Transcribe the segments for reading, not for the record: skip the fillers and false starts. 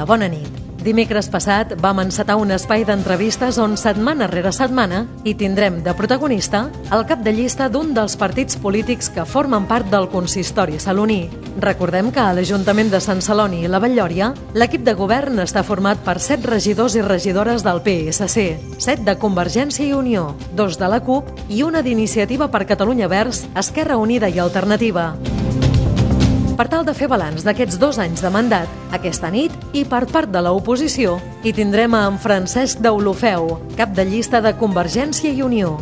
bona nit. Dimecres passat vam encetar un espai d'entrevistes on setmana rere setmana hi tindrem de protagonista el cap de llista d'un dels partits polítics que formen part del consistori saloní. Recordem que a l'Ajuntament de Sant Celoni i la Vall-lloria l'equip de govern està format per 7 regidors i regidores del PSC, 7 de Convergència i Unió, 2 de la CUP i una d'Iniciativa per Catalunya Verds, Esquerra Unida i Alternativa. Per tal de fer balanç d'aquests 2 anys de mandat, aquesta nit i per part de l'oposició hi tindrem a en Francesc Deulofeu, cap de llista de Convergència i Unió.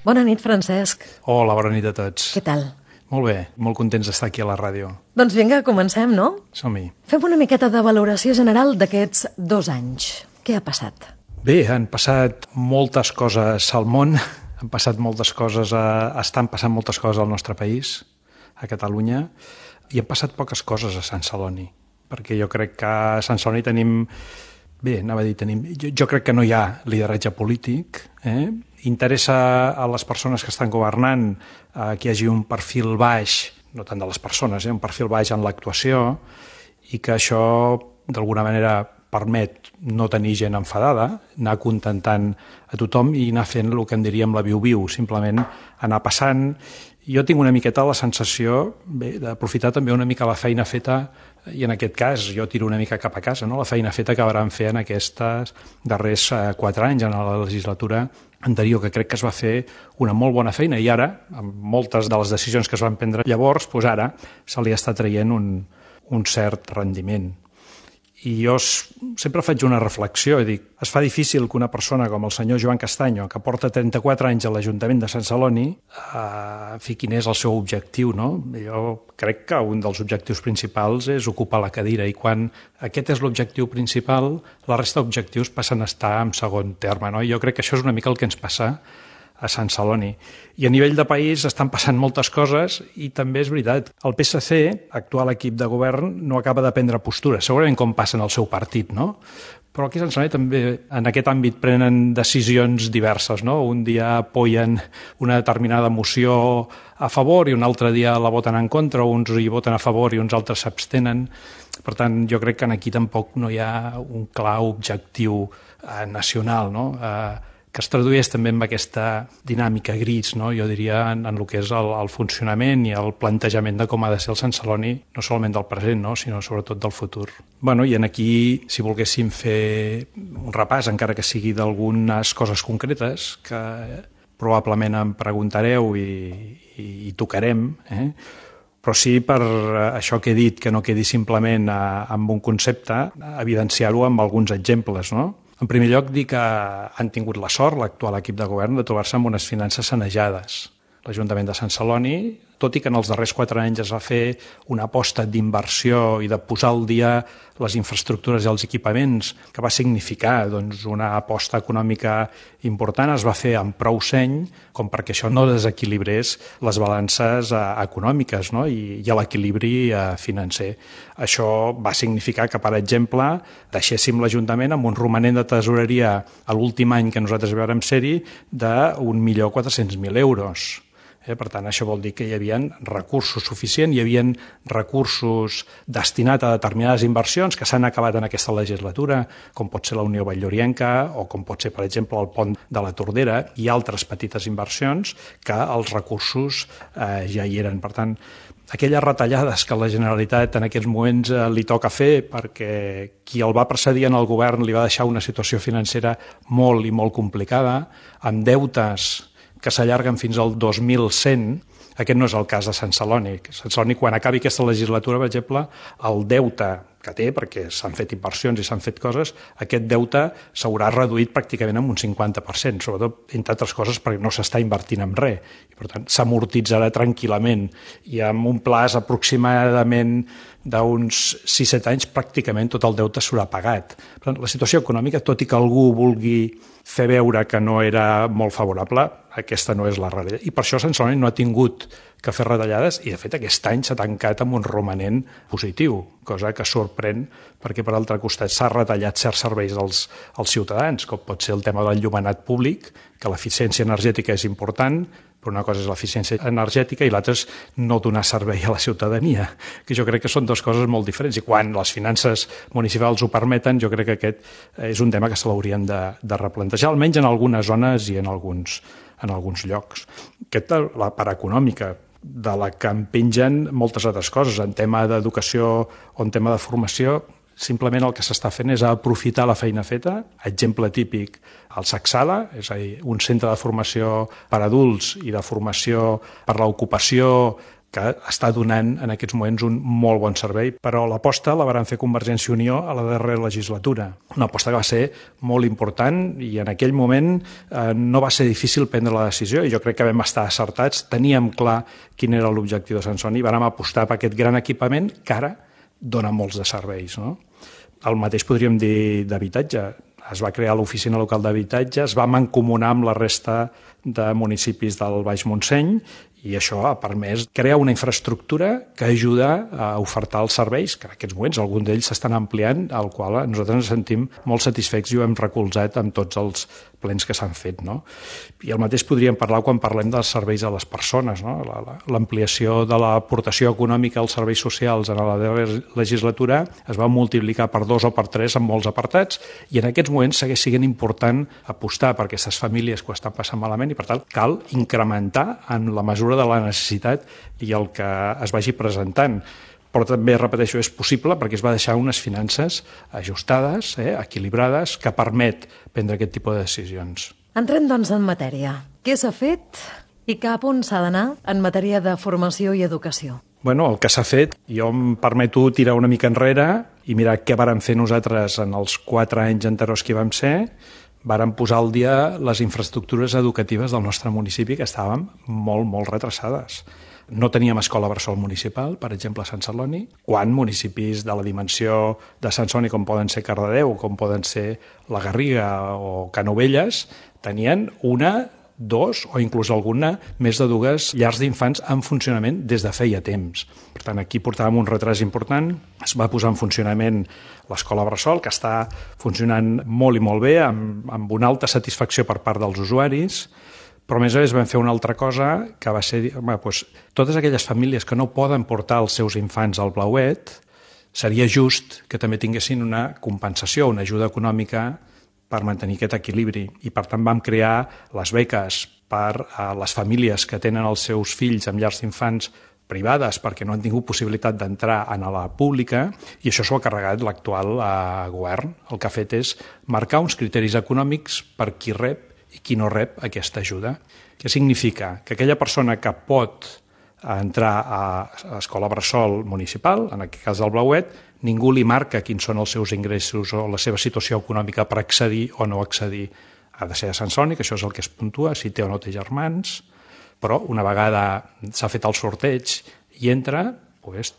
Bona nit, Francesc. Hola, bona nit a tots. Què tal? Molt bé, molt contents d'estar aquí a la ràdio. Doncs vinga, comencem, no? Som-hi. Fem una miqueta de valoració general d'aquests 2 anys. Què ha passat? Bé, han passat moltes coses al món, han passat moltes coses, estan passant moltes coses al nostre país, a Catalunya, i han passat poques coses a Sant Celoni, perquè jo crec que a Sant Celoni tenim... Bé, anava a dir, jo crec que no hi ha lideratge polític, interessa a les persones que estan governant que hi hagi un perfil baix, no tant de les persones, un perfil baix en l'actuació, i que això, d'alguna manera, permet no tenir gent enfadada, anar contentant a tothom i anar fent el que en diríem la viu-viu, simplement anar passant. Jo tinc una miqueta la sensació d'aprofitar també una mica la feina feta, i en aquest cas jo tiro una mica cap a casa, no? La feina feta que vàrem fer en aquests darrers 4 anys, en la legislatura anterior, que crec que es va fer una molt bona feina, i ara, amb moltes de les decisions que es van prendre llavors, doncs ara se li està traient un cert rendiment. I jo sempre faig una reflexió i dic, es fa difícil que una persona com el senyor Joan Castanyo, que porta 34 anys a l'Ajuntament de Sant Celoni, quin és el seu objectiu, no? Jo crec que un dels objectius principals és ocupar la cadira, i quan aquest és l'objectiu principal, la resta d'objectius passen a estar en segon terme, no? I jo crec que això és una mica el que ens passa a Sant Celoni. I a nivell de país estan passant moltes coses, i també és veritat, el PSC, actual equip de govern, no acaba de prendre postura, segurament com passa en el seu partit, no? Però aquí a Sant Celoni també en aquest àmbit prenen decisions diverses, no? Un dia apoyen una determinada moció a favor i un altre dia la voten en contra, uns hi voten a favor i uns altres s'abstenen. Per tant, jo crec que aquí tampoc no hi ha un clar objectiu nacional, no? Que es tradueix també en aquesta dinàmica gris, no? Jo diria, en el que és el funcionament i el plantejament de com ha de ser el Sant Celoni, no solament del present, no? Sinó sobretot del futur. Bueno, i aquí, si volguéssim fer un repàs, encara que sigui d'algunes coses concretes, que probablement em preguntareu i tocarem, però sí, per això que he dit, que no quedi simplement amb un concepte, evidenciar-ho amb alguns exemples, no? En primer lloc, dir que han tingut la sort, l'actual equip de govern, de trobar-se amb unes finances sanejades. L'Ajuntament de Sant Celoni, tot i que en els darrers 4 anys es va fer una aposta d'inversió i de posar al dia les infraestructures i els equipaments, que va significar una aposta econòmica important, es va fer amb prou seny com perquè això no desequilibrés les balances econòmiques, no? I l'equilibri financer. Això va significar que, per exemple, deixéssim l'Ajuntament amb un romanent de tesoreria a l'últim any que nosaltres vam ser-hi d'1.400.000 euros. Per tant, això vol dir que hi havia recursos suficients, hi havia recursos destinats a determinades inversions que s'han acabat en aquesta legislatura, com pot ser la Unió Vall-llorienca o com pot ser, per exemple, el pont de la Tordera i altres petites inversions que els recursos ja hi eren. Per tant, aquelles retallades que la Generalitat en aquests moments li toca fer perquè qui el va precedir en el govern li va deixar una situació financera molt i molt complicada, amb deutes que s'allarguen fins al 2100, aquest no és el cas de Sant Celoni. Sant Celoni, quan acabi aquesta legislatura, per exemple, el deute que té, perquè s'han fet inversions i s'han fet coses, aquest deute s'haurà reduït pràcticament en un 50%, sobretot, entre altres coses, perquè no s'està invertint en res. I, per tant, s'amortitzarà tranquil·lament. I amb un plaç aproximadament d'uns 6-7 anys, pràcticament tot el deute s'haurà pagat. Per tant, la situació econòmica, tot i que algú vulgui fer veure que no era molt favorable, aquesta no és la realitat. I per això Sant Celoni no ha tingut que fer retallades i, de fet, aquest any s'ha tancat amb un romanent positiu, cosa que sorprèn perquè, per altre costat, s'ha retallat certs serveis als ciutadans, com pot ser el tema del enllumenat públic, que l'eficiència energètica és important, però una cosa és l'eficiència energètica i l'altra és no donar servei a la ciutadania, que jo crec que són dues coses molt diferents, i quan les finances municipals ho permeten, jo crec que aquest és un tema que se l'haurien de replantejar, almenys en algunes zones i en alguns llocs. La part econòmica, de la que en pengen moltes altres coses, en tema d'educació o en tema de formació, simplement el que s'està fent és aprofitar la feina feta. Exemple típic, el Sacsala, és a dir, un centre de formació per adults i de formació per l'ocupació que està donant en aquests moments un molt bon servei, però l'aposta la van fer Convergència i Unió a la darrera legislatura. Una aposta que va ser molt important i en aquell moment no va ser difícil prendre la decisió i jo crec que vam estar acertats, teníem clar quin era l'objectiu de Sansoni i vam apostar per aquest gran equipament que ara dona molts de serveis, no? El mateix podríem dir d'habitatge. Es va crear l'oficina local d'habitatge, es va mancomunar amb la resta de municipis del Baix Montseny i això ha permès crear una infraestructura que ajuda a ofertar els serveis, que en aquests moments alguns d'ells s'estan ampliant, al qual nosaltres ens sentim molt satisfets i ho hem recolzat amb tots els plens que s'han fet, no? I el mateix podríem parlar quan parlem dels serveis a les persones, no? L'ampliació de l'aportació econòmica als serveis socials en la legislatura es va multiplicar per 2 o per 3 en molts apartats i en aquests moments segueix sent important apostar per aquestes famílies que ho estan passant malament i per tant cal incrementar en la mesura de la necessitat i el que es vagi presentant. Però també, repeteixo, és possible perquè es va deixar unes finances ajustades, equilibrades, que permet prendre aquest tipus de decisions. Entrem, doncs, en matèria. Què s'ha fet i cap on s'ha d'anar en matèria de formació i educació? Bueno, el que s'ha fet, jo em permeto tirar una mica enrere i mirar què vàrem fer nosaltres en els 4 anys anteriors que hi vam ser. Vàrem posar al dia les infraestructures educatives del nostre municipi que estàvem molt retrasades. No teníem escola bressol municipal, per exemple, a Sant Celoni, quan municipis de la dimensió de Sant Celoni, com poden ser Cardedeu, com poden ser la Garriga o Canovelles, tenien 1, 2 o inclús alguna més de 2 llars d'infants en funcionament des de feia temps. Per tant, aquí portàvem un retras important. Es va posar en funcionament l'escola bressol, que està funcionant molt i molt bé, amb una alta satisfacció per part dels usuaris, però a més vam fer una altra cosa que va ser totes aquelles famílies que no poden portar els seus infants al Blauet, seria just que també tinguessin una compensació, una ajuda econòmica per mantenir aquest equilibri. I per tant vam crear les beques per a les famílies que tenen els seus fills en llars d'infants privades perquè no han tingut possibilitat d'entrar a la pública i això s'ho ha carregat l'actual govern. El que ha fet és marcar uns criteris econòmics per qui rep i qui no rep aquesta ajuda. Què significa? Que aquella persona que pot entrar a l'escola bressol municipal, en aquest cas del Blauet, ningú li marca quins són els seus ingressos o la seva situació econòmica per accedir o no accedir. Ha de ser a Sant Celoni, que això és el que es puntua, si té o no té germans, però una vegada s'ha fet el sorteig i entra,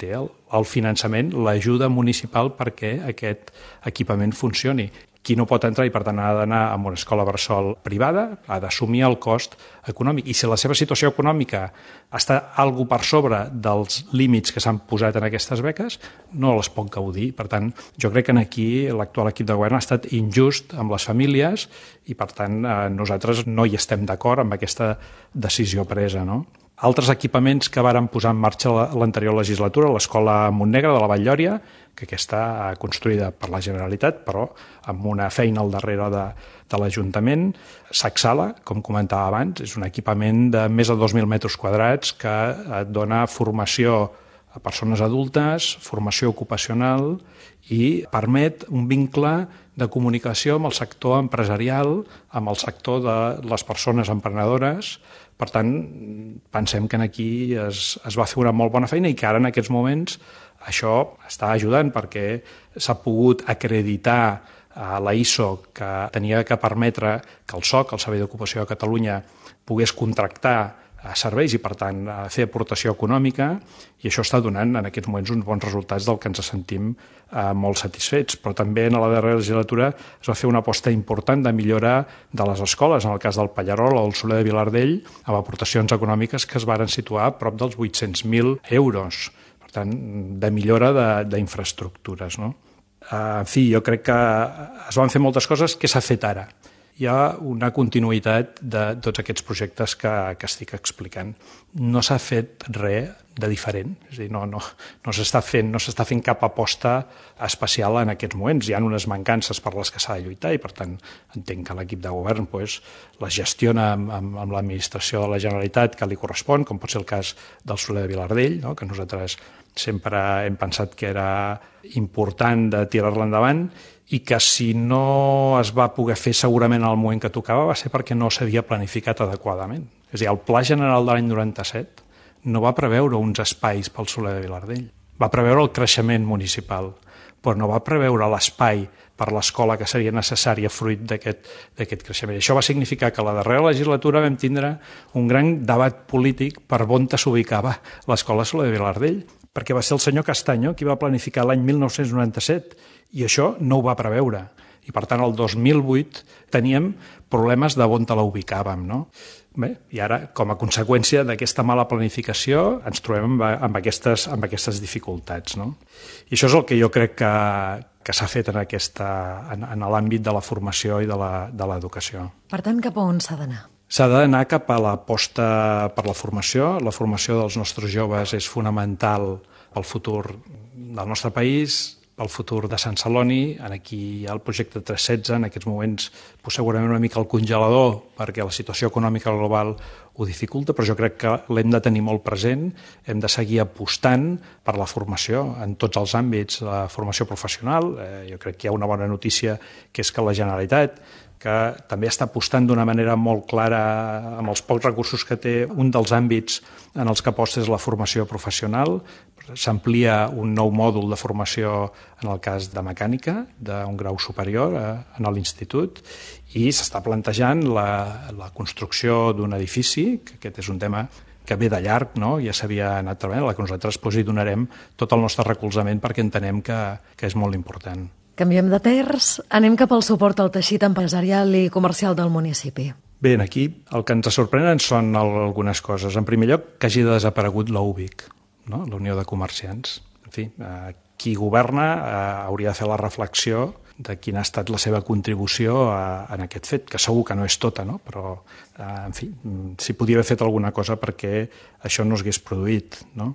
té el finançament, l'ajuda municipal perquè aquest equipament funcioni. Qui no pot entrar i per tant ha d'anar a una escola bressol privada ha d'assumir el cost econòmic. I si la seva situació econòmica està algo per sobre dels límits que s'han posat en aquestes beques, no les pot gaudir. Per tant, jo crec que aquí l'actual equip de govern ha estat injust amb les famílies i per tant nosaltres no hi estem d'acord amb aquesta decisió presa, no? Altres equipaments que varen posar en marxa l'anterior legislatura, l'escola Montnegre de la Vall-llòria, que aquesta construïda per la Generalitat, però amb una feina al darrere de l'Ajuntament. Sacsala, com comentava abans, és un equipament de més de 2.000 metres quadrats que et dona formació a persones adultes, formació ocupacional i permet un vincle de comunicació amb el sector empresarial, amb el sector de les persones emprenedores. Per tant, pensem que aquí es va fer una molt bona feina i que ara en aquests moments això està ajudant perquè s'ha pogut acreditar a la ISO que tenia que permetre que el SOC, el Servei d'Ocupació de Catalunya, pogués contractar serveis i, per tant, fer aportació econòmica i això està donant en aquests moments uns bons resultats del que ens sentim molt satisfets. Però també en la darrera legislatura es va fer una aposta important de millora de les escoles, en el cas del Pallerol o el Soler de Vilardell, amb aportacions econòmiques que es varen situar a prop dels 800.000 euros. Per tant, de millora d'infraestructures, no? En fi, jo crec que es van fer moltes coses que s'ha fet ara. hi ha una continuïtat de tots aquests projectes que estic explicant. No s'ha fet res de diferent, és a dir, no s'està fent cap aposta especial en aquests moments. Hi ha unes mancances per les que s'ha de lluitar i, per tant, entenc que l'equip de govern les gestiona amb l'administració de la Generalitat que li correspon, com pot ser el cas del Soler de Vilardell, no? Que nosaltres sempre hem pensat que era important de tirar-la endavant i que si no es va poder fer segurament en el moment que tocava va ser perquè no s'havia planificat adequadament. És a dir, el Pla General de l'any 97 no va preveure uns espais pel Soler de Vilardell. Va preveure el creixement municipal, però no va preveure l'espai per l'escola que seria necessària fruit d'aquest creixement. Això va significar que a la darrera legislatura vam tindre un gran debat polític per on s'ubicava l'escola Soler de Vilardell, perquè va ser el senyor Castaño qui va planificar l'any 1997 i això no ho va preveure. I, per tant, el 2008 teníem problemes de on la ubicàvem, no? Bé, i ara, com a conseqüència d'aquesta mala planificació, ens trobem amb aquestes dificultats, no? I això és el que jo crec que s'ha fet en l'àmbit de la formació i de l'educació. Per tant, cap a on s'ha d'anar? S'ha d'anar cap a l'aposta per la formació. La formació dels nostres joves és fonamental pel futur del nostre país, pel futur de Sant Celoni. Aquí hi ha el projecte 316, en aquests moments segurament una mica el congelador perquè la situació econòmica global ho dificulta, però jo crec que l'hem de tenir molt present, hem de seguir apostant per la formació en tots els àmbits, la formació professional. Jo crec que hi ha una bona notícia, que és que la Generalitat, que també està apostant d'una manera molt clara amb els pocs recursos que té, un dels àmbits en els que aposta és la formació professional. S'amplia un nou mòdul de formació en el cas de mecànica, d'un grau superior en l'institut, i s'està plantejant la construcció d'un edifici, que aquest és un tema que ve de llarg, no? Ja s'havia anat treballant, a la que nosaltres hi donarem tot el nostre recolzament perquè entenem que és molt important. Canviem de terç, anem cap al suport al teixit empresarial i comercial del municipi. Bé, aquí el que ens sorprenen són algunes coses. En primer lloc, que hagi desaparegut la UBIC, no? La Unió de Comerciants. En fi, qui governa hauria de fer la reflexió de quina ha estat la seva contribució en aquest fet, que segur que no és tota, no? Però, en fi, s'hi podia haver fet alguna cosa perquè això no s'hagués produït, no?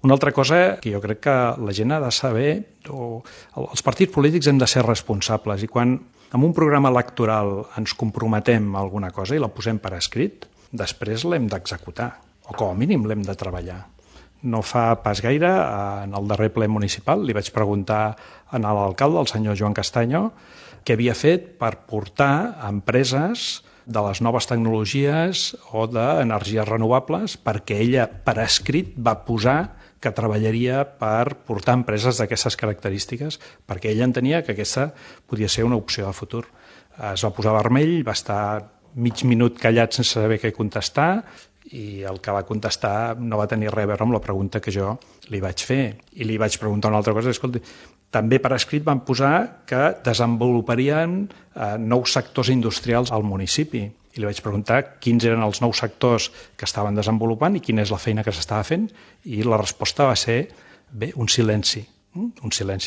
Una altra cosa que jo crec que la gent ha de saber, els partits polítics hem de ser responsables, i quan en un programa electoral ens comprometem a alguna cosa i la posem per escrit, després l'hem d'executar, o com a mínim l'hem de treballar. No fa pas gaire, en el darrer ple municipal, li vaig preguntar a l'alcalde, el senyor Joan Castaño, què havia fet per portar empreses de les noves tecnologies o d'energies renovables, perquè ella, per escrit, va posar que treballaria per portar empreses d'aquestes característiques, perquè ella entenia que aquesta podia ser una opció de futur. Es va posar vermell, va estar mig minut callat sense saber què contestar, i el que va contestar no va tenir res a veure amb la pregunta que jo li vaig fer. I li vaig preguntar una altra cosa, escolti, també per escrit van posar que desenvoluparien nous sectors industrials al municipi. I li vaig preguntar quins eren els nous sectors que estaven desenvolupant i quina és la feina que s'estava fent, i la resposta va ser, bé, un silenci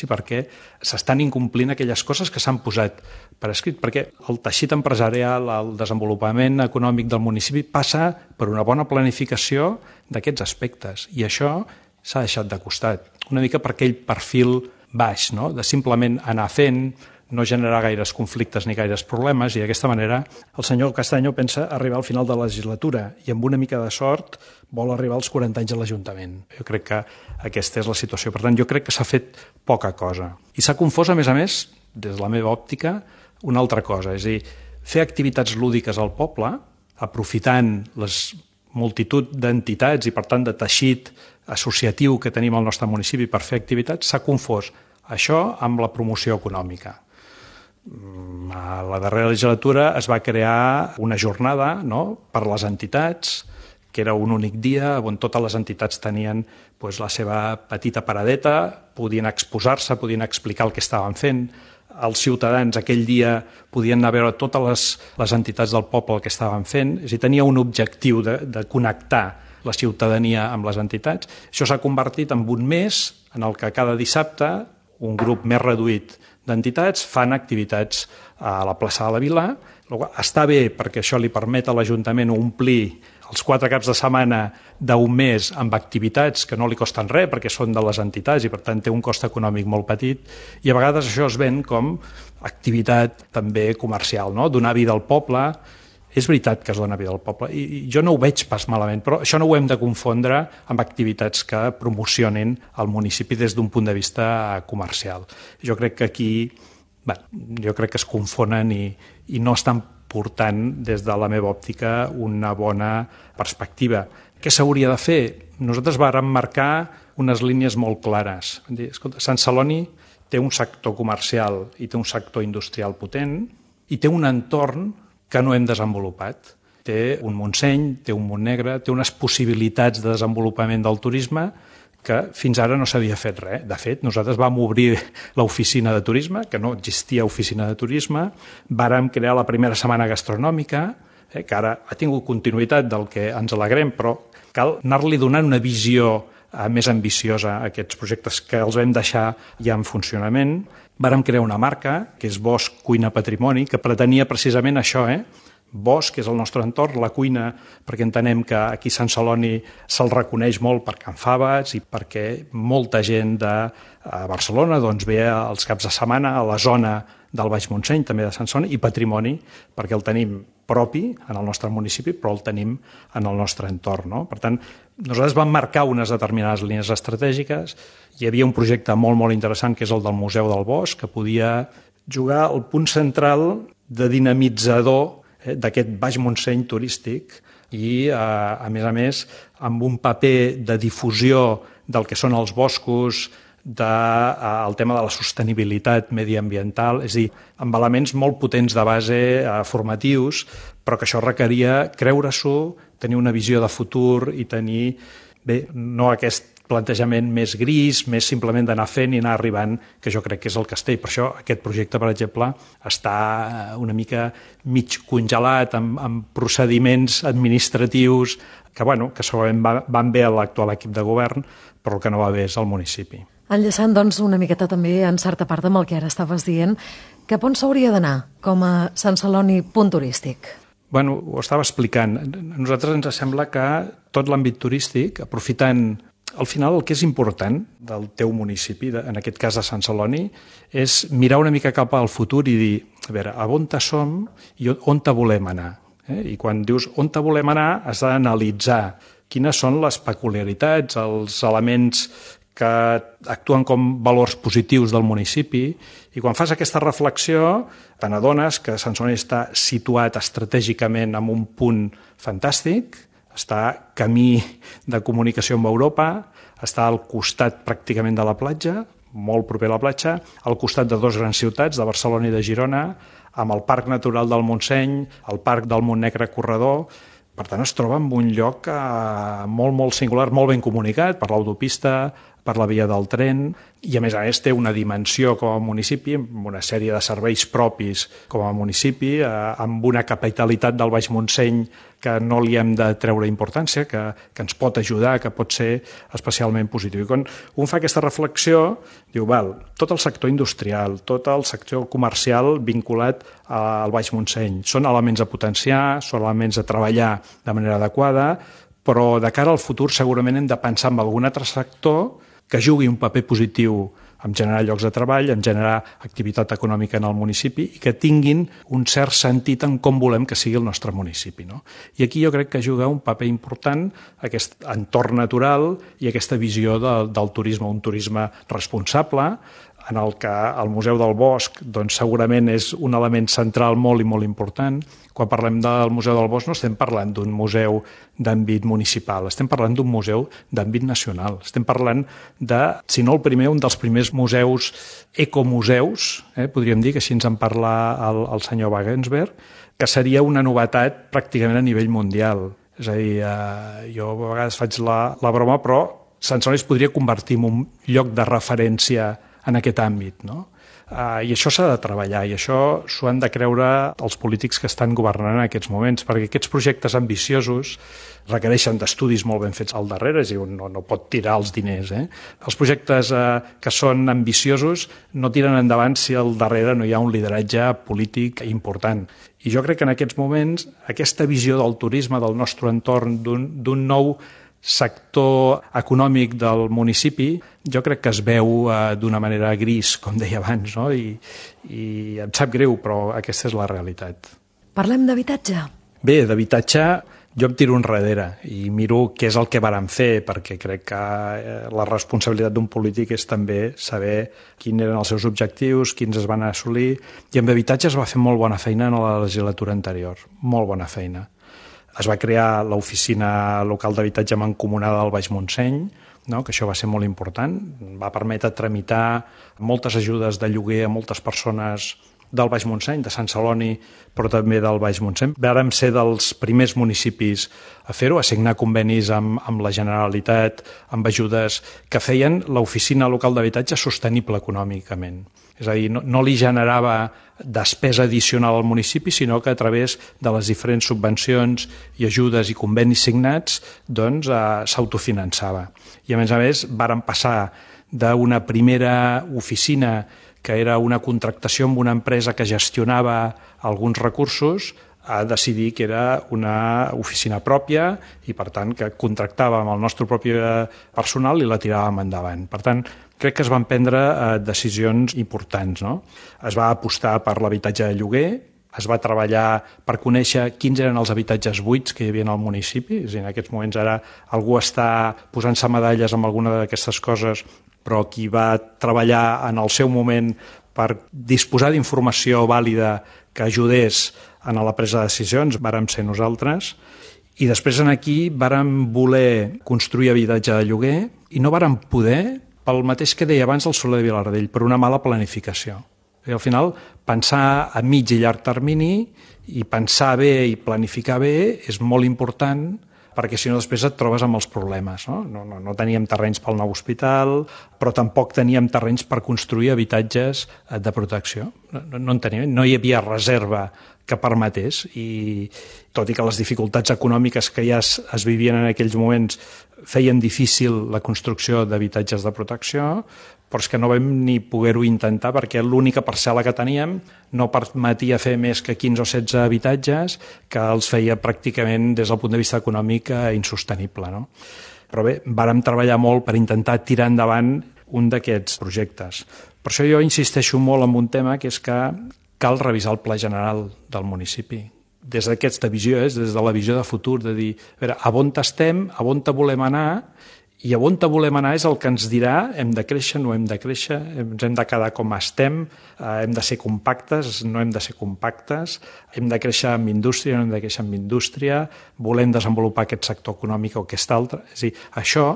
perquè s'estan incomplint aquelles coses que s'han posat per escrit, perquè el teixit empresarial, el desenvolupament econòmic del municipi passa per una bona planificació d'aquests aspectes, i això s'ha deixat de costat, una mica per aquell perfil baix, no? De simplement anar fent, no generar gaires conflictes ni gaires problemes, i d'aquesta manera el senyor Castaño pensa arribar al final de la legislatura i amb una mica de sort vol arribar als 40 anys a l'Ajuntament. Jo crec que aquesta és la situació. Per tant, jo crec que s'ha fet poca cosa. I s'ha confós, a més, des de la meva òptica, una altra cosa, és a dir, fer activitats lúdiques al poble, aprofitant les multitud d'entitats i, per tant, de teixit associatiu que tenim al nostre municipi per fer activitats, s'ha confós això amb la promoció econòmica. A la darrera legislatura es va crear una jornada, no?, per les entitats, que era un únic dia on totes les entitats tenien la seva petita paradeta, podien exposar-se, podien explicar el que estaven fent. Els ciutadans aquell dia podien anar a veure totes les entitats del poble el que estaven fent. És a dir, tenia un objectiu de connectar la ciutadania amb les entitats. Això s'ha convertit en un mes en el que cada dissabte un grup més reduït d'entitats, fan activitats a la plaça de la Vila. Està bé perquè això li permet a l'Ajuntament omplir els 4 caps de setmana d'un mes amb activitats que no li costen res perquè són de les entitats i per tant té un cost econòmic molt petit i a vegades això es ven com activitat també comercial, no? Donar vida al poble. És veritat que es dona vida al poble i jo no ho veig pas malament, però això no ho hem de confondre amb activitats que promocionin el municipi des d'un punt de vista comercial. Jo crec que aquí es confonen i no estan portant des de la meva òptica una bona perspectiva. Què s'hauria de fer? Nosaltres vàrem marcar unes línies molt clares. Escolta, Sant Celoni té un sector comercial i té un sector industrial potent i té un entorn que no hem desenvolupat. Té un Montseny, té un Montnegre, té unes possibilitats de desenvolupament del turisme que fins ara no s'havia fet res. De fet, nosaltres vam obrir l'oficina de turisme, que no existia oficina de turisme, vàrem crear la primera setmana gastronòmica, que ara ha tingut continuïtat del que ens alegrem, però cal anar-li donant una visió més ambiciosa a aquests projectes que els vam deixar ja en funcionament. Vàrem crear una marca, que és Bosch Cuina Patrimoni, que pretenia precisament això, Bosch, que és el nostre entorn, la cuina, perquè entenem que aquí a Sant Celoni se'l reconeix molt per Can Faves i perquè molta gent de Barcelona ve els caps de setmana a la zona del Baix Montseny, també de Sant Celoni, i patrimoni, perquè el tenim propi en el nostre municipi, però el tenim en el nostre entorn. No? Per tant, nosaltres vam marcar unes determinades línies estratègiques. Hi havia un projecte molt, molt interessant, que és el del Museu del Bosc, que podia jugar al punt central de dinamitzador d'aquest Baix Montseny turístic i, a més, amb un paper de difusió del que són els boscos, del tema de la sostenibilitat mediambiental, és a dir, amb elements molt potents de base formatius, però que això requeria creure-s'ho, tenir una visió de futur i tenir, no aquest plantejament més gris, més simplement d'anar fent i anar arribant, que jo crec que és el castell. Per això aquest projecte, per exemple, està una mica mig congelat amb procediments administratius que segurament van bé a l'actual equip de govern, però el que no va bé és el municipi. Enllaçant, doncs, una miqueta també, en certa part, amb el que ara estaves dient, cap on s'hauria d'anar com a Sant Celoni punt turístic? Ho estava explicant. A nosaltres ens sembla que tot l'àmbit turístic, aprofitant al final el que és important del teu municipi, en aquest cas de Sant Celoni, és mirar una mica cap al futur i dir, a veure, on som i on volem anar. I quan dius on volem anar has d'analitzar quines són les peculiaritats, els elements que actuen com valors positius del municipi, i quan fas aquesta reflexió te n'adones que Sant Celoni està situat estratègicament en un punt fantàstic, està camí de comunicació amb Europa, està al costat pràcticament de la platja, molt proper a la platja, al costat de 2 grans ciutats, de Barcelona i de Girona, amb el Parc Natural del Montseny, el Parc del Montnegre Corredor. Per tant, es troba en un lloc molt, molt singular, molt ben comunicat per l'autopista, per la via del tren, i a més té una dimensió com a municipi, amb una sèrie de serveis propis com a municipi, amb una capitalitat del Baix Montseny que no li hem de treure importància, que ens pot ajudar, que pot ser especialment positiu. I quan un fa aquesta reflexió, diu, tot el sector industrial, tot el sector comercial vinculat al Baix Montseny, són elements a potenciar, són elements a treballar de manera adequada, però de cara al futur segurament hem de pensar en algun altre sector que jugui un paper positiu en generar llocs de treball, en generar activitat econòmica en el municipi i que tinguin un cert sentit en com volem que sigui el nostre municipi. No? I aquí jo crec que juga un paper important aquest entorn natural i aquesta visió del turisme, un turisme responsable, en el que el Museu del Bosc segurament és un element central molt i molt important. Quan parlem del Museu del Bosc no estem parlant d'un museu d'àmbit municipal, estem parlant d'un museu d'àmbit nacional. Estem parlant de, si no el primer, un dels primers museus ecomuseus, podríem dir, que així ens en parla el senyor Wagensberg, que seria una novetat pràcticament a nivell mundial. És a dir, jo a vegades faig la broma, però Sant Celoni es podria convertir en un lloc de referència en aquest àmbit, no? I això s'ha de treballar, i això s'ho han de creure els polítics que estan governant en aquests moments, perquè aquests projectes ambiciosos requereixen d'estudis molt ben fets al darrere, és a dir, no pot tirar els diners. Els projectes que són ambiciosos no tiren endavant si al darrere no hi ha un lideratge polític important. I jo crec que en aquests moments aquesta visió del turisme, del nostre entorn, d'un nou sector econòmic del municipi, jo crec que es veu d'una manera gris, com deia abans, no? I em sap greu, però aquesta és la realitat. Parlem d'habitatge? Bé, d'habitatge jo em tiro enrere i miro què és el que vàrem fer, perquè crec que la responsabilitat d'un polític és també saber quins eren els seus objectius, quins es van assolir, i amb habitatge es va fer molt bona feina en la legislatura anterior, molt bona feina. Es va crear l'oficina local d'habitatge mancomunada del Baix Montseny, no? Que això va ser molt important, va permetre tramitar moltes ajudes de lloguer a moltes persones del Baix Montseny, de Sant Celoni, però també del Baix Montseny. Vàrem ser dels primers municipis a fer-ho, a signar convenis amb la Generalitat, amb ajudes que feien l'oficina local d'habitatge sostenible econòmicament. És a dir, no li generava despesa addicional al municipi, sinó que a través de les diferents subvencions i ajudes i convenis signats doncs, s'autofinançava. I a més, vàrem passar d'una primera oficina que era una contractació amb una empresa que gestionava alguns recursos a decidir que era una oficina pròpia i, per tant, que contractàvem el nostre propi personal i la tiràvem endavant. Per tant, crec que es van prendre decisions importants, no? Es va apostar per l'habitatge de lloguer, es va treballar per conèixer quins eren els habitatges buits que hi havia al municipi. És a dir, en aquests moments ara algú està posant-se medalles amb alguna d'aquestes coses, però qui va treballar en el seu moment per disposar d'informació vàlida que ajudés a la presa de decisions vàrem ser nosaltres. I després aquí vàrem voler construir habitatge de lloguer i no vàrem poder, pel mateix que deia abans el Soler de Vilardell, per una mala planificació. I al final, pensar a mig i llarg termini i pensar bé i planificar bé és molt important, perquè si no després et trobes amb els problemes. No teníem terrenys pel nou hospital, però tampoc teníem terrenys per construir habitatges de protecció. No en teníem, no hi havia reserva que permetés, i tot i que les dificultats econòmiques que ja es vivien en aquells moments feien difícil la construcció d'habitatges de protecció, però és que no vam ni poder-ho intentar perquè l'única parcel·la que teníem no permetia fer més que 15 o 16 habitatges, que els feia pràcticament des del punt de vista econòmic insostenible. No? Però bé, vàrem treballar molt per intentar tirar endavant un d'aquests projectes. Per això jo insisteixo molt en un tema, que és que cal revisar el pla general del municipi. Des d'aquesta visió, des de la visió de futur, de dir, a veure, a on estem, a on volem anar, i a on volem anar és el que ens dirà hem de créixer, no hem de créixer, ens hem de quedar com estem, hem de ser compactes, no hem de ser compactes, hem de créixer amb indústria, no hem de créixer amb indústria, volem desenvolupar aquest sector econòmic o aquest altre. És a dir, això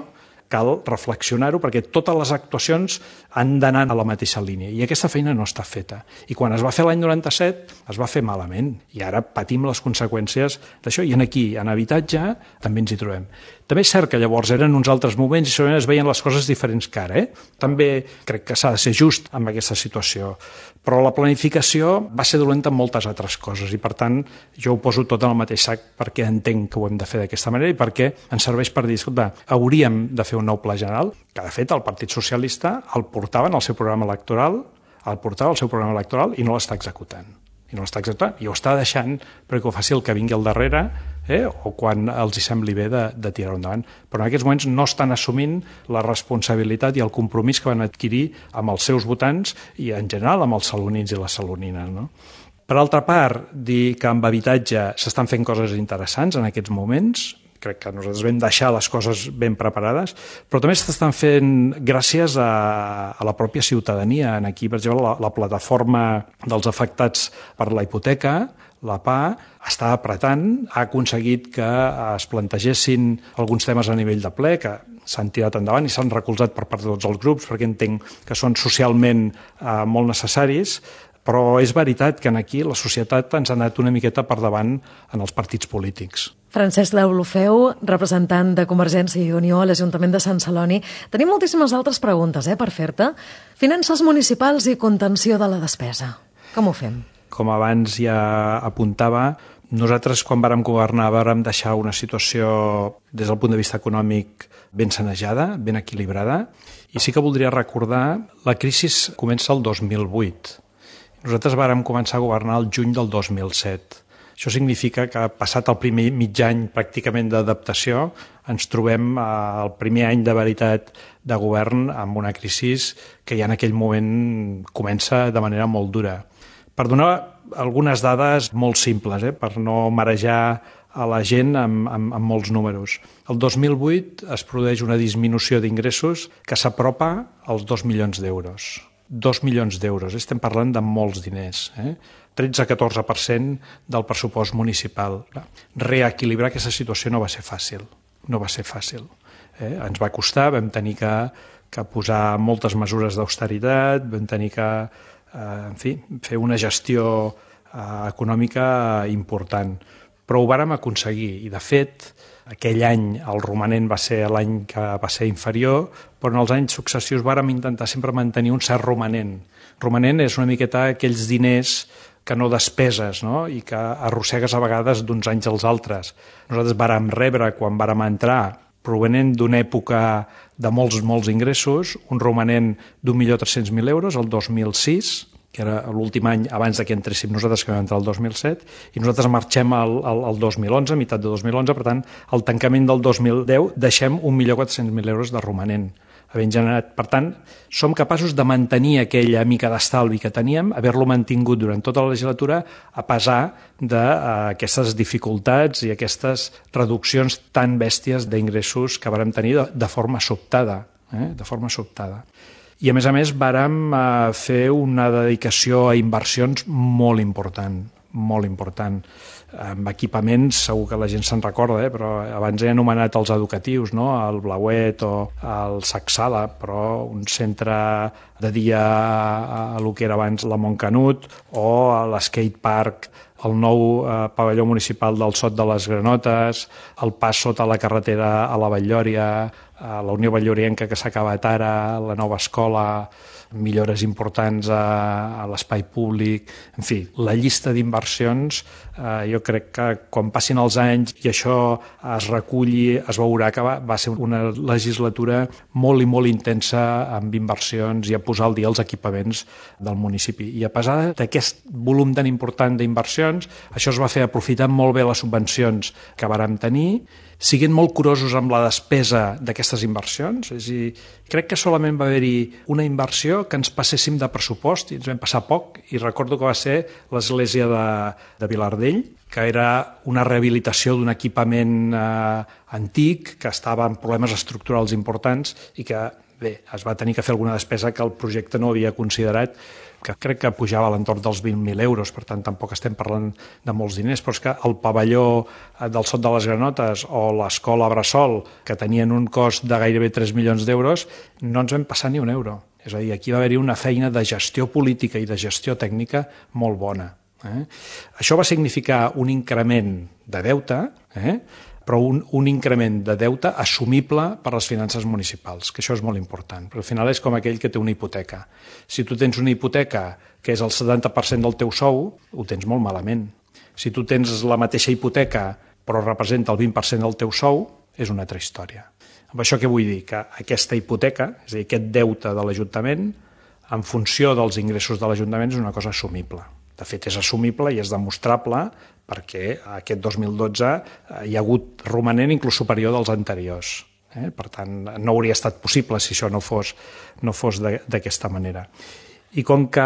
cal reflexionar-ho perquè totes les actuacions han d'anar a la mateixa línia i aquesta feina no està feta. I quan es va fer l'any 97 es va fer malament i ara patim les conseqüències d'això i aquí, en habitatge, també ens hi trobem. També és cert que llavors eren uns altres moments i segurament es veien les coses diferents que ara. També crec que s'ha de ser just amb aquesta situació. Però la planificació va ser dolenta en moltes altres coses i, per tant, jo ho poso tot en el mateix sac perquè entenc que ho hem de fer d'aquesta manera i perquè ens serveix per dir, escolta, hauríem de fer un nou pla general, que de fet el Partit Socialista el portava en el seu programa electoral, i no l'està executant. I ho està deixant perquè ho faci el que vingui al darrere o quan els hi sembli bé de tirar-ho endavant. Però en aquests moments no estan assumint la responsabilitat i el compromís que van adquirir amb els seus votants i en general amb els salonins i les salonines. No? Per altra part, dir que amb habitatge s'estan fent coses interessants en aquests moments, crec que nosaltres vam deixar les coses ben preparades, però també s'estan fent gràcies a la pròpia ciutadania. Aquí, per exemple, la plataforma dels afectats per la hipoteca, la PA, està apretant, ha aconseguit que es plantegessin alguns temes a nivell de ple, que s'han tirat endavant i s'han recolzat per part de tots els grups, perquè entenc que són socialment molt necessaris. Però és veritat que aquí la societat ens ha anat una miqueta per davant en els partits polítics. Francesc Deulofeu, representant de Convergència i Unió a l'Ajuntament de Sant Celoni. Tenim moltíssimes altres preguntes per fer-te. Finances municipals i contenció de la despesa. Com ho fem? Com abans ja apuntava, nosaltres quan vàrem governar vàrem deixar una situació des del punt de vista econòmic ben sanejada, ben equilibrada, i sí que voldria recordar la crisi comença el 2008. Nosaltres vàrem començar a governar el juny del 2007. Això significa que passat el primer mig any pràcticament d'adaptació ens trobem el primer any de veritat de govern amb una crisi que ja en aquell moment comença de manera molt dura. Per donar algunes dades molt simples, per no marejar a la gent amb molts números. El 2008 es produeix una disminució d'ingressos que s'apropa als 2 milions d'euros. 2 milions d'euros, estem parlant de molts diners, 13-14% del pressupost municipal. Reequilibrar aquesta situació no va ser fàcil, Ens va costar, vam tenir que posar moltes mesures d'austeritat, vam tenir que fer una gestió econòmica important, però ho vàrem aconseguir i, de fet, aquell any el romanent va ser l'any que va ser inferior, però en els anys successius vàrem intentar sempre mantenir un cert romanent. Romanent és una miqueta aquells diners que no despeses, no? I que arrossegues a vegades d'uns anys als altres. Nosaltres vàrem rebre, quan vàrem entrar, provenent d'una època de molts ingressos, un romanent d'1.300.000 euros, el 2006, que era l'últim any abans que entréssim nosaltres, que vam entrar el 2007, i nosaltres marxem al 2011, mitat de 2011, per tant, al tancament del 2010 deixem 1.400.000 euros de romanent havent generat. Per tant, som capaços de mantenir aquella mica d'estalvi que teníem, haver-lo mantingut durant tota la legislatura, a pesar d'aquestes dificultats i aquestes reduccions tan bèsties d'ingressos que vàrem tenir de forma sobtada. I, a més, vàrem fer una dedicació a inversions molt important. Amb equipaments, segur que la gent se'n recorda, però abans he anomenat els educatius, no? El Blauet o el Sacsala, però un centre de dia a lo que era abans la Montcanut, o l'skatepark, el nou pavelló municipal del Sot de les Granotes, el pas sota la carretera a la Batllòria, a la Unió Batllorienca que s'ha acabat ara, la nova escola, millores importants a l'espai públic. En fi, la llista d'inversions, jo crec que quan passin els anys i això es reculli, es veurà que va ser una legislatura molt i molt intensa amb inversions i a posar al dia els equipaments del municipi. I a pesar d'aquest volum tan important d'inversions, això es va fer aprofitant molt bé les subvencions que vàrem tenir, siguent molt curosos amb la despesa d'aquestes inversions. És a dir, crec que solament va haver-hi una inversió que ens passéssim de pressupost i ens vam passar poc, i recordo que va ser l'església de Vilardell, que era una rehabilitació d'un equipament antic que estava en problemes estructurals importants i que, bé, es va tenir que fer alguna despesa que el projecte no havia considerat, que crec que pujava a l'entorn dels 20.000 euros, per tant tampoc estem parlant de molts diners, però és que el pavelló del Sot de les Granotes o l'escola Bressol, que tenien un cost de gairebé 3 milions d'euros, no ens vam passar ni un euro. És a dir, aquí va haver-hi una feina de gestió política i de gestió tècnica molt bona. Això va significar un increment de deute, però un increment de deute assumible per les finances municipals, que això és molt important, perquè al final és com aquell que té una hipoteca. Si tu tens una hipoteca que és el 70% del teu sou, ho tens molt malament. Si tu tens la mateixa hipoteca però representa el 20% del teu sou, és una altra història. Amb això què vull dir? Que aquesta hipoteca, és a dir, aquest deute de l'Ajuntament, en funció dels ingressos de l'Ajuntament, és una cosa assumible. De fet, és assumible i és demostrable perquè aquest 2012 hi ha hagut romanent inclús superior dels anteriors. Per tant, no hauria estat possible si això no fos d'aquesta manera. I com que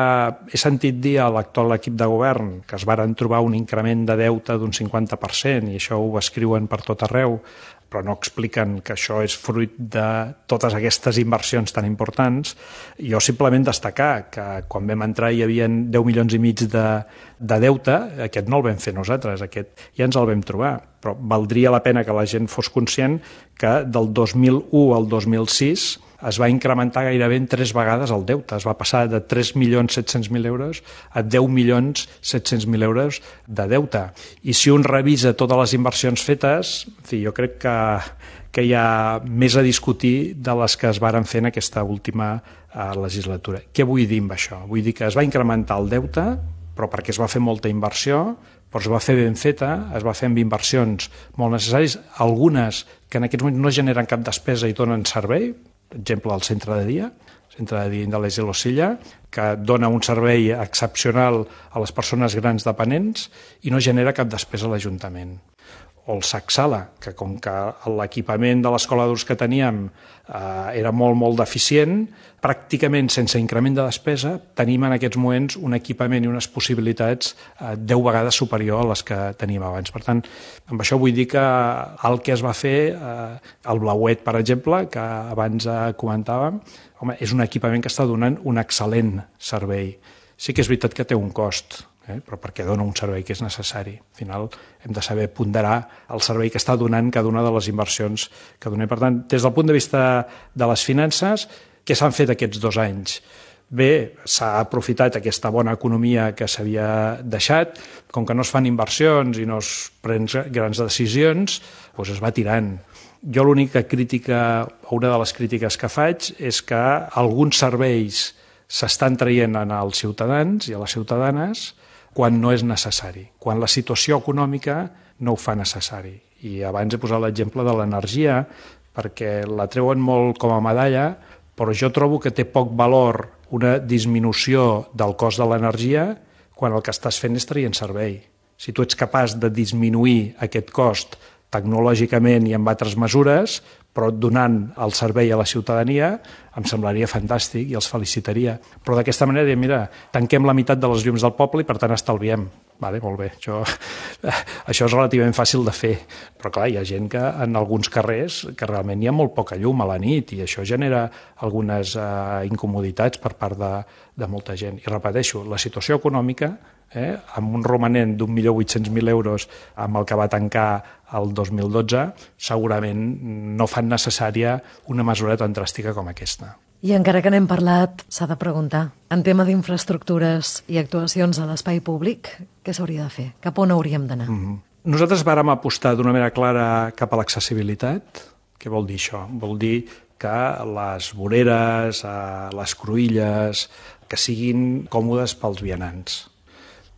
he sentit dir a l'actual equip de govern que es varen trobar un increment de deute d'un 50%, i això ho escriuen per tot arreu, però no expliquen que això és fruit de totes aquestes inversions tan importants, jo simplement destacar que quan vam entrar hi havia 10 milions i mig de deute, aquest no el vam fer nosaltres, aquest ja ens el vam trobar, però valdria la pena que la gent fos conscient que del 2001 al 2006 es va incrementar gairebé en 3 vegades el deute. Es va passar de 3.700.000 euros a 10.700.000 euros de deute. I si un revisa totes les inversions fetes, en fi, jo crec que hi ha més a discutir de les que es varen fer en aquesta última legislatura. Què vull dir amb això? Vull dir que es va incrementar el deute, però perquè es va fer molta inversió, però es va fer ben feta, es va fer amb inversions molt necessàries, algunes que en aquests moments no generen cap despesa i donen servei, per exemple, el centre de dia Indalés i l'Osilla, que dona un servei excepcional a les persones grans dependents i no genera cap despesa a l'Ajuntament. O el SAC Sala, que com que l'equipament de l'escola d'adults que teníem era molt deficient, pràcticament sense increment de despesa tenim en aquests moments un equipament i unes possibilitats 10 vegades superior a les que teníem abans. Per tant, amb això vull dir que el que es va fer, el Blauet, per exemple, que abans comentàvem, home, és un equipament que està donant un excel·lent servei. Sí que és veritat que té un cost, però perquè dona un servei que és necessari. Al final hem de saber ponderar el servei que està donant cada una de les inversions que donem. Per tant, des del punt de vista de les finances, què s'han fet aquests 2 anys? Bé, s'ha aprofitat aquesta bona economia que s'havia deixat, com que no es fan inversions i no es prenen grans decisions, doncs es va tirant. Jo l'única crítica, una de les crítiques que faig, és que alguns serveis s'estan traient als ciutadans i a les ciutadanes quan no és necessari, quan la situació econòmica no ho fa necessari. I abans he posat l'exemple de l'energia, perquè la treuen molt com a medalla, però jo trobo que té poc valor una disminució del cost de l'energia quan el que estàs fent és traient servei. Si tu ets capaç de disminuir aquest cost tecnològicament i amb altres mesures, però donant el servei a la ciutadania, em semblaria fantàstic i els felicitaria. Però d'aquesta manera, mira, tanquem la meitat de les llums del poble i per tant estalviem. Vale, molt bé, això és relativament fàcil de fer, però clar, hi ha gent que en alguns carrers que realment hi ha molt poca llum a la nit i això genera algunes incomoditats per part de molta gent. I repeteixo, la situació econòmica, amb un romanent d'1.800.000 euros amb el que va tancar el 2012, segurament no fan necessària una mesura tan dràstica com aquesta. I encara que n'hem parlat, s'ha de preguntar, en tema d'infraestructures i actuacions a l'espai públic, què s'hauria de fer? Cap on hauríem d'anar? Nosaltres vàrem apostar d'una manera clara cap a l'accessibilitat. Què vol dir això? Vol dir que les voreres, les cruïlles, que siguin còmodes pels vianants,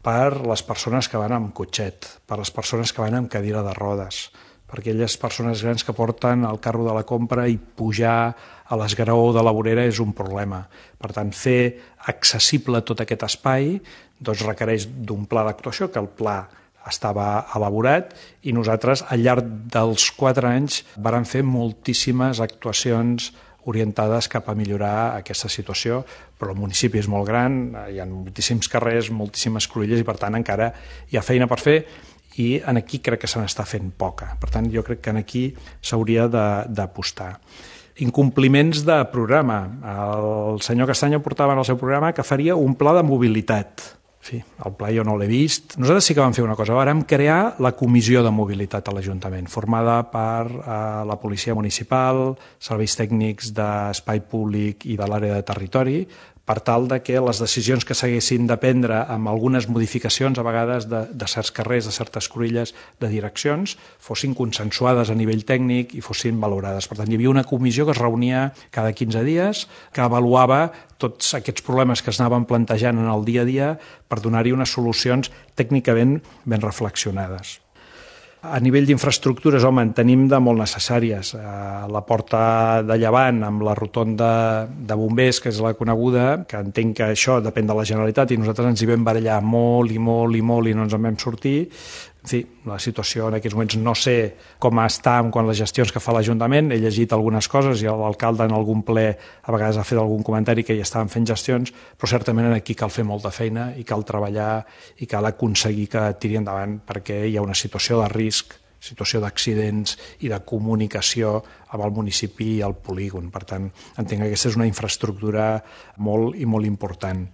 per les persones que van amb cotxet, per les persones que van amb cadira de rodes, per aquelles persones grans que porten el carro de la compra i pujar a l'esgraó de la vorera és un problema. Per tant, fer accessible tot aquest espai doncs requereix d'un pla d'actuació, que el pla estava elaborat i nosaltres al llarg dels 4 anys vàrem fer moltíssimes actuacions orientades cap a millorar aquesta situació, però el municipi és molt gran, hi ha moltíssims carrers, moltíssimes cruïlles i per tant encara hi ha feina per fer i aquí crec que se n'està fent poca. Per tant, jo crec que aquí s'hauria d'apostar. Incompliments de programa. El senyor Castanyo portava en el seu programa que faria un pla de mobilitat. En fi, el pla jo no l'he vist. Nosaltres sí que vam fer una cosa. Vàrem crear la comissió de mobilitat a l'Ajuntament, formada per la policia municipal, serveis tècnics d'espai públic i de l'àrea de territori, per tal de que les decisions que s'haguessin de prendre amb algunes modificacions, a vegades de certs carrers, de certes cruïlles, de direccions, fossin consensuades a nivell tècnic i fossin valorades. Per tant, hi havia una comissió que es reunia cada 15 dies, que avaluava tots aquests problemes que es anaven plantejant en el dia a dia per donar-hi unes solucions tècnicament ben reflexionades. A nivell d'infraestructures, home, en tenim de molt necessàries. La porta de Llevant amb la rotonda de bombers, que és la coneguda, que entenc que això depèn de la Generalitat i nosaltres ens hi vam barallar molt i no ens en vam sortir. En fi, la situació en aquests moments no sé com està amb les gestions que fa l'Ajuntament. He llegit algunes coses i l'alcalde en algun ple a vegades ha fet algun comentari que hi estaven fent gestions, però certament aquí cal fer molta feina i cal treballar i cal aconseguir que tiri endavant perquè hi ha una situació de risc, situació d'accidents i de comunicació amb el municipi i el polígon. Per tant, entenc que aquesta és una infraestructura molt i molt important.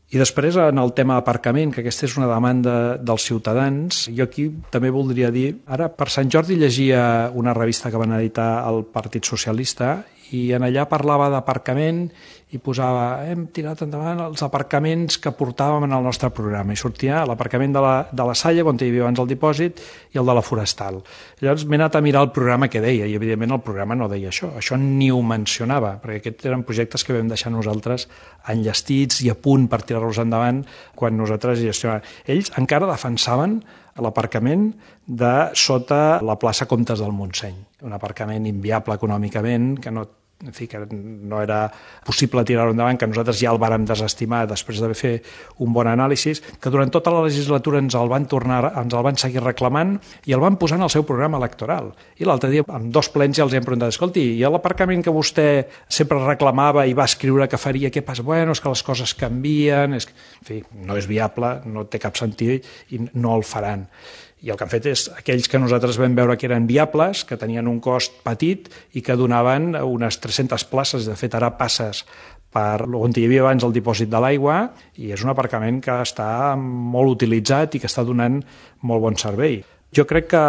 I després, en el tema aparcament, que aquesta és una demanda dels ciutadans, jo aquí també voldria dir, ara per Sant Jordi llegia una revista que van editar el Partit Socialista i en allà parlava d'aparcament i posava, hem tirat endavant els aparcaments que portàvem en el nostre programa, i sortia l'aparcament de la Salle, on hi havia abans el dipòsit, i el de la Forestal. Llavors m'he anat a mirar el programa que deia, i evidentment el programa no deia això ni ho mencionava, perquè aquests eren projectes que vam deixar nosaltres enllestits i a punt per tirar-los endavant quan nosaltres gestionàvem. Ells encara defensaven l'aparcament de sota la plaça Comtes del Montseny, un aparcament inviable econòmicament, que no era possible tirar-ho endavant, que nosaltres ja el vàrem desestimar després d'haver fet un bon anàlisi, que durant tota la legislatura ens el van seguir reclamant i el van posar en el seu programa electoral. I l'altre dia, amb 2 plens, ja els hem preguntat, escolti, i l'aparcament que vostè sempre reclamava i va escriure que faria, què passa? Bueno, és que les coses canvien, en fi, no és viable, no té cap sentit i no el faran. I el que han fet és aquells que nosaltres vam veure que eren viables, que tenien un cost petit i que donaven unes 300 places. De fet, ara passes per on hi havia abans el dipòsit de l'aigua i és un aparcament que està molt utilitzat i que està donant molt bon servei. Jo crec que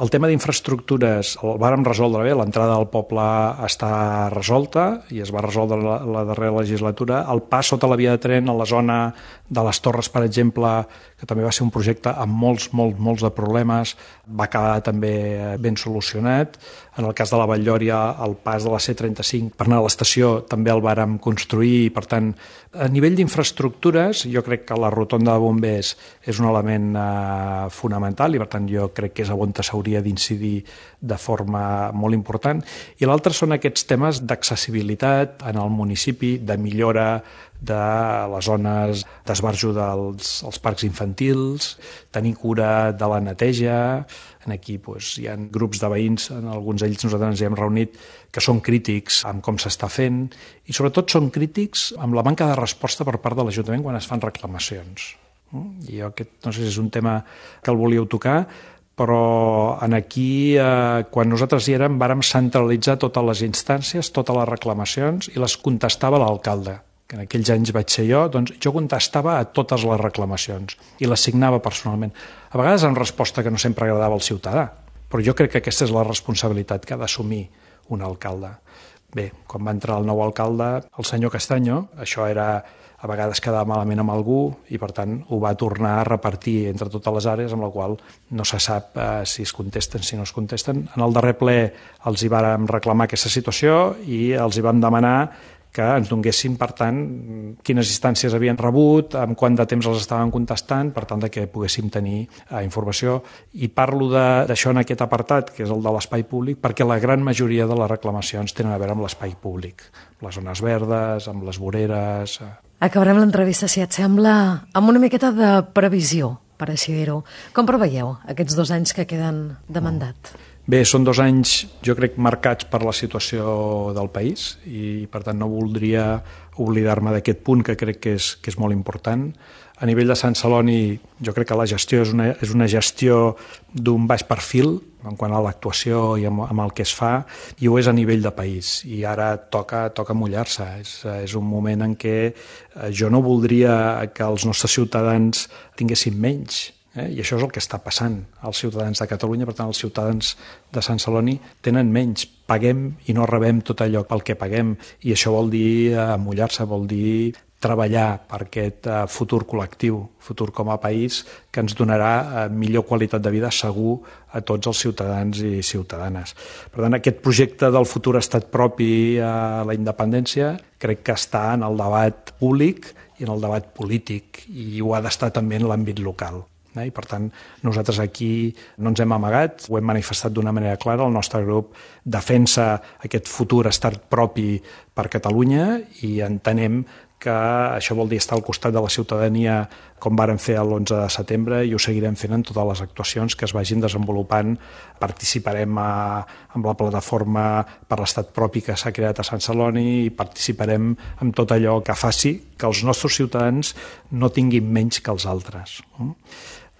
el tema d'infraestructures el vàrem resoldre bé, l'entrada al poble està resolta i es va resoldre la darrera legislatura. El pas sota la via de tren a la zona de les Torres, per exemple, que també va ser un projecte amb molts de problemes, va quedar també ben solucionat. En el cas de la Vall-lloria, el pas de la C35 per anar a l'estació també el vàrem construir i, per tant, a nivell d'infraestructures, jo crec que la rotonda de bombers és un element fonamental i, per tant, jo crec que és on s'hauria d'incidir de forma molt important. I l'altre són aquests temes d'accessibilitat en el municipi, de millora de les zones d'esbarjo dels parcs infantils, tenir cura de la neteja. Aquí hi ha grups de veïns, en alguns d'ells nosaltres ens hi hem reunit, que són crítics amb com s'està fent i sobretot són crítics amb la manca de resposta per part de l'Ajuntament quan es fan reclamacions. I jo aquest, no sé si és un tema que el volíeu tocar, però aquí, quan nosaltres hi érem, vàrem centralitzar totes les instàncies, totes les reclamacions i les contestava l'alcalde, que en aquells anys vaig ser jo, doncs jo contestava a totes les reclamacions i les signava personalment. A vegades en resposta que no sempre agradava al ciutadà, però jo crec que aquesta és la responsabilitat que ha d'assumir un alcalde. Bé, quan va entrar el nou alcalde, el senyor Castanyo, això era a vegades quedava malament amb algú i, per tant, ho va tornar a repartir entre totes les àrees, amb la qual no se sap si es contesten, si no es contesten. En el darrer ple els hi vàrem reclamar aquesta situació i els hi vam demanar que ens donguessin, per tant, quines instàncies havien rebut, amb quant de temps els estaven contestant, per tant, que poguéssim tenir informació. I parlo d'això en aquest apartat, que és el de l'espai públic, perquè la gran majoria de les reclamacions tenen a veure amb l'espai públic, les zones verdes, amb les voreres. Acabarem l'entrevista, si et sembla, amb una miqueta de previsió, per així dir-ho. Com preveieu aquests 2 anys que queden de mandat? Bé, són 2 anys, jo crec, marcats per la situació del país i, per tant, no voldria oblidar-me d'aquest punt que crec que és molt important. A nivell de Sant Celoni, jo crec que la gestió és una gestió d'un baix perfil en quant a l'actuació i amb el que es fa, i ho és a nivell de país. I ara toca mullar-se. És un moment en què jo no voldria que els nostres ciutadans tinguessin menys. I això és el que està passant als ciutadans de Catalunya. Per tant, els ciutadans de Sant Celoni tenen menys. Paguem i no rebem tot allò pel que paguem, i això vol dir mullar-se, vol dir treballar per aquest futur col·lectiu, futur com a país, que ens donarà millor qualitat de vida segur a tots els ciutadans i ciutadanes. Per tant, aquest projecte del futur estat propi a la independència crec que està en el debat públic i en el debat polític, i ho ha d'estar també en l'àmbit local. I, per tant, nosaltres aquí no ens hem amagat, ho hem manifestat d'una manera clara. El nostre grup defensa aquest futur estat propi per Catalunya i entenem que això vol dir estar al costat de la ciutadania, com vàrem fer l'11 de setembre, i ho seguirem fent en totes les actuacions que es vagin desenvolupant. Participarem amb la plataforma per l'estat propi que s'ha creat a Sant Celoni i participarem en tot allò que faci que els nostres ciutadans no tinguin menys que els altres.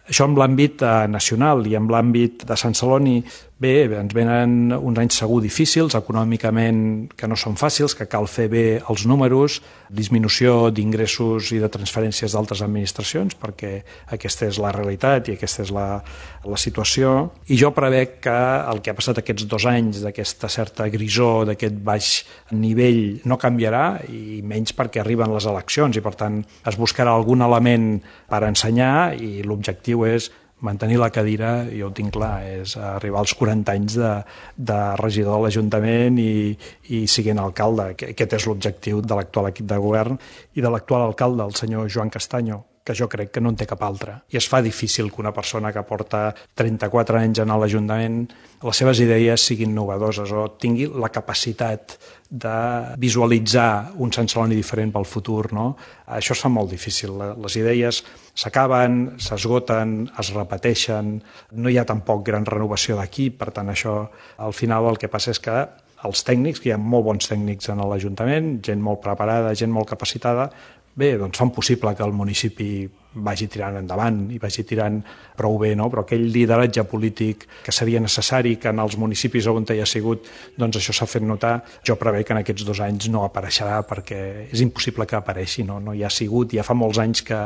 Això amb l'àmbit nacional, i amb l'àmbit de Sant Celoni Bé, ens venen uns anys segur difícils, econòmicament que no són fàcils, que cal fer bé els números, disminució d'ingressos i de transferències d'altres administracions, perquè aquesta és la realitat i aquesta és la situació. I jo prevec que el que ha passat aquests 2 anys, d'aquesta certa grisor, d'aquest baix nivell, no canviarà, i menys perquè arriben les eleccions, i per tant es buscarà algun element per ensenyar, i l'objectiu és mantenir la cadira, jo ho tinc clar, és arribar als 40 anys de regidor de l'Ajuntament i siguent alcalde. Aquest és l'objectiu de l'actual equip de govern i de l'actual alcalde, el senyor Joan Castaño, que jo crec que no en té cap altre. I es fa difícil que una persona que porta 34 anys en l'Ajuntament, les seves idees siguin innovadores o tingui la capacitat de visualitzar un Sant Celoni diferent pel futur, no? Això es fa molt difícil. Les idees s'acaben, s'esgoten, es repeteixen, no hi ha tampoc gran renovació d'aquí, per tant això al final el que passa és que els tècnics, que hi ha molt bons tècnics en l'Ajuntament, gent molt preparada, gent molt capacitada, bé, doncs fan possible que el municipi vagi tirant endavant i vagi tirant prou bé, no? Però aquell lideratge polític que seria necessari, que en els municipis on hi ha sigut, doncs això s'ha fet notar. Jo prevec que en aquests 2 anys no apareixerà, perquè és impossible que apareixi, no hi ha sigut, ja fa molts anys que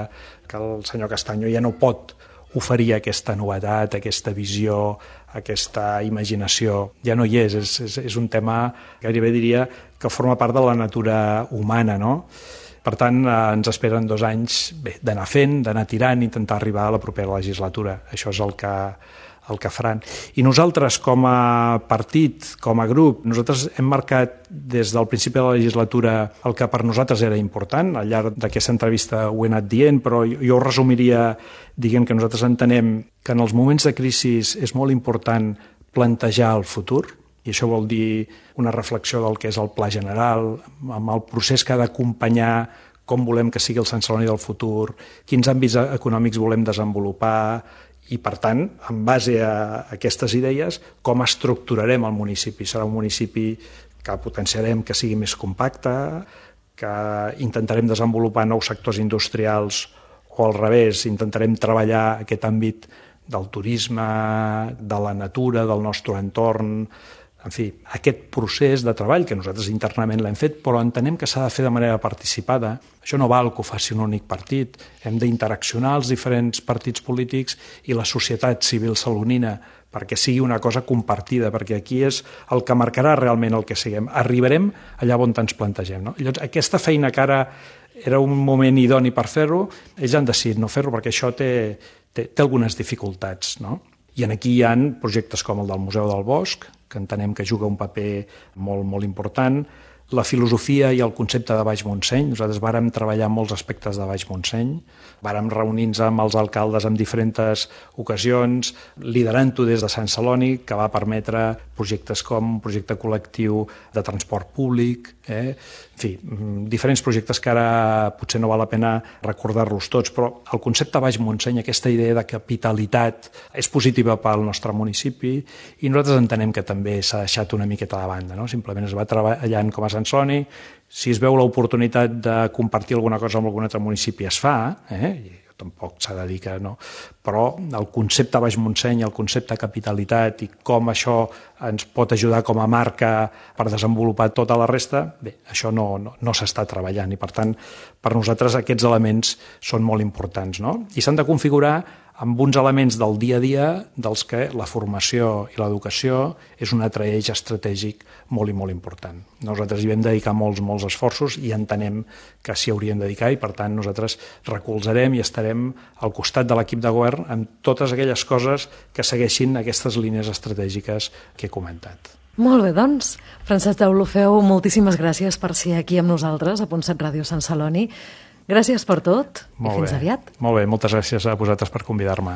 el senyor Castaño ja no pot oferir aquesta novetat, aquesta visió, aquesta imaginació. Ja no hi és un tema que gairebé diria que forma part de la natura humana, no? Per tant, ens esperen 2 anys d'anar fent, d'anar tirant, intentar arribar a la propera legislatura. Això és el que faran. I nosaltres, com a partit, com a grup, nosaltres hem marcat des del principi de la legislatura el que per nosaltres era important. Al llarg d'aquesta entrevista ho he anat dient, però jo ho resumiria dient que nosaltres entenem que en els moments de crisi és molt important plantejar el futur, i això vol dir una reflexió del que és el pla general, amb el procés que ha d'acompanyar com volem que sigui el Sant Celoni del futur, quins àmbits econòmics volem desenvolupar, i per tant, en base a aquestes idees, com estructurarem el municipi. Serà un municipi que potenciarem que sigui més compacte, que intentarem desenvolupar nous sectors industrials, o al revés, intentarem treballar aquest àmbit del turisme, de la natura, del nostre entorn. En fi, aquest procés de treball que nosaltres internament l'hem fet, però entenem que s'ha de fer de manera participada. Això no val que ho faci un únic partit. Hem d'interaccionar els diferents partits polítics i la societat civil salonina perquè sigui una cosa compartida, perquè aquí és el que marcarà realment el que siguem. Arribarem allà on ens plantegem, no? Llavors, aquesta feina que ara era un moment idoni per fer-ho, ells han decidit no fer-ho perquè això té algunes dificultats, no? I aquí hi ha projectes com el del Museu del Bosc, que entenem que juga un paper molt, molt important, la filosofia i el concepte de Baix Montseny. Nosaltres vàrem treballar molts aspectes de Baix Montseny, vàrem reunir-nos amb els alcaldes en diferents ocasions, liderant-ho des de Sant Celoni, que va permetre projectes com un projecte col·lectiu de transport públic, En fi, diferents projectes que ara potser no val la pena recordar-los tots, però el concepte Baix Montseny, aquesta idea de capitalitat, és positiva pel nostre municipi i nosaltres entenem que també s'ha deixat una miqueta de banda, no? Simplement es va treballant com a Sant Celoni, si es veu l'oportunitat de compartir alguna cosa amb algun altre municipi es fa, tampoc s'ha de dir que no, però el concepte Baix Montseny, el concepte capitalitat i com això ens pot ajudar com a marca per desenvolupar tota la resta, bé, això no s'està treballant i per tant per nosaltres aquests elements són molt importants, no? I s'han de configurar amb uns elements del dia a dia dels que la formació i l'educació és un altre eix estratègic molt i molt important. Nosaltres hi vam dedicar molts esforços i entenem que s'hi haurien de dedicar i per tant nosaltres recolzarem i estarem al costat de l'equip de govern amb totes aquelles coses que segueixin aquestes línies estratègiques que he comentat. Molt bé, doncs. Francesc Deulofeu, moltíssimes gràcies per ser aquí amb nosaltres a Punt 7 Ràdio Sant Celoni. Gràcies per tot i fins aviat. Molt bé, moltes gràcies a vosaltres per convidar-me.